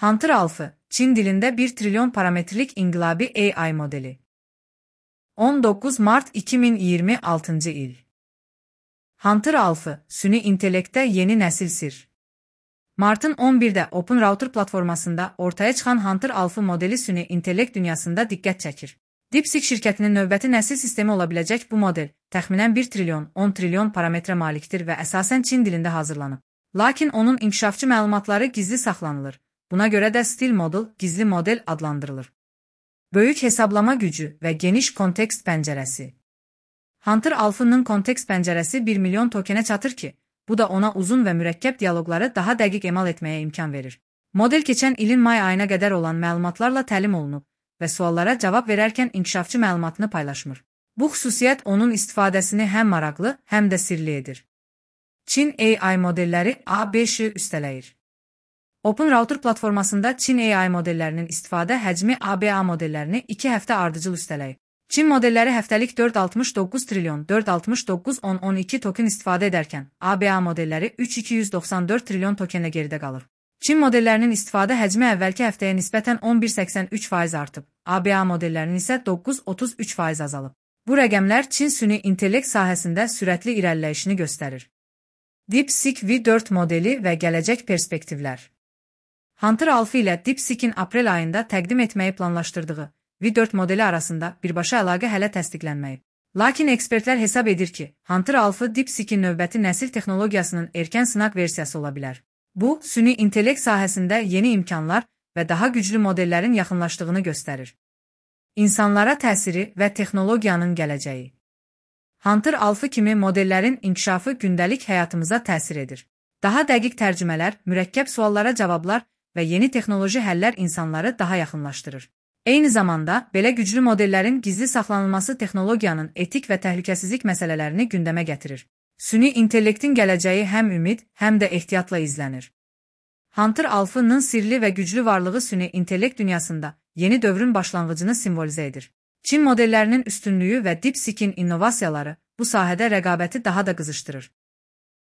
Hunter Alpha, Çin dilinde 1 trilyon parametrelik inqilabi AI modeli. 19 Mart 2026 il. Hunter Alpha, süni intellekte yeni nesil sir. Mart'ın 11'də Open Router platformasında ortaya çıxan Hunter Alpha modeli süni intellekt dünyasında diqqət çəkir. DeepSeek şirkətinin növbəti nəsil sistemi olabiləcək bu model, təxminən 1 trilyon, 10 trilyon parametrə malikdir və əsasən Çin dilində hazırlanıb. Lakin onun inkişafçı məlumatları gizli saxlanılır. Buna görə də Still Model, gizli model adlandırılır. Böyük hesablama gücü və geniş kontekst pəncərəsi. Hunter Alpha'nın kontekst pəncərəsi 1 milyon tokenə çatır ki, bu da ona uzun və mürəkkəb dialoqları daha dəqiq emal etməyə imkan verir. Model keçən ilin may ayına qədər olan məlumatlarla təlim olunub və suallara cavab verərkən inkişafçı məlumatını paylaşmır. Bu xüsusiyyət onun istifadəsini həm maraqlı, həm də sirli edir. Çin AI modelləri A5-i üstələyir. Open Router platformasında Çin AI modellərinin istifadə həcmi ABA modellərini 2 həftə ardıcıl üstələyib. Çin modelləri həftəlik 469 trilyon 469,1012 token istifadə edərkən, ABA modelləri 3294 trilyon tokenlə geridə qalır. Çin modellərinin istifadə həcmi əvvəlki həftəyə nisbətən 11,83% artıb, ABA modellərinin isə 9,33% azalıb. Bu rəqəmlər Çin süni intellekt sahəsində sürətli irəliləyişini göstərir. DeepSeek V4 modeli və gələcək perspektivlər. Hunter Alpha ilə DeepSeek'in aprel ayında təqdim etməyi planlaşdırdığı V4 modeli arasında birbaşa əlaqə hələ təsdiqlənməyib. Lakin ekspertlər hesab edir ki, Hunter Alpha DeepSeek'in növbəti nəsil texnologiyasının erkən sınaq versiyası ola bilər. Bu, süni intellekt sahəsində yeni imkanlar və daha güclü modellərin yaxınlaşdığını göstərir. İnsanlara təsiri və texnologiyanın gələcəyi. Hunter Alpha kimi modellərin inkişafı gündəlik həyatımıza təsir edir. Daha dəqiq tərcümələr, mürəkkəb suallara cavablar və yeni texnoloji həllər insanları daha yaxınlaşdırır. Eyni zamanda, belə güclü modellərin gizli saxlanılması texnologiyanın etik və təhlükəsizlik məsələlərini gündəmə gətirir. Süni intellektin gələcəyi həm ümid, həm də ehtiyatla izlənir. Hunter Alpha'nın sirli və güclü varlığı süni intellekt dünyasında yeni dövrün başlanğıcını simvolizə edir. Çin modellərinin üstünlüyü və DeepSeek'in innovasiyaları bu sahədə rəqabəti daha da qızışdırır.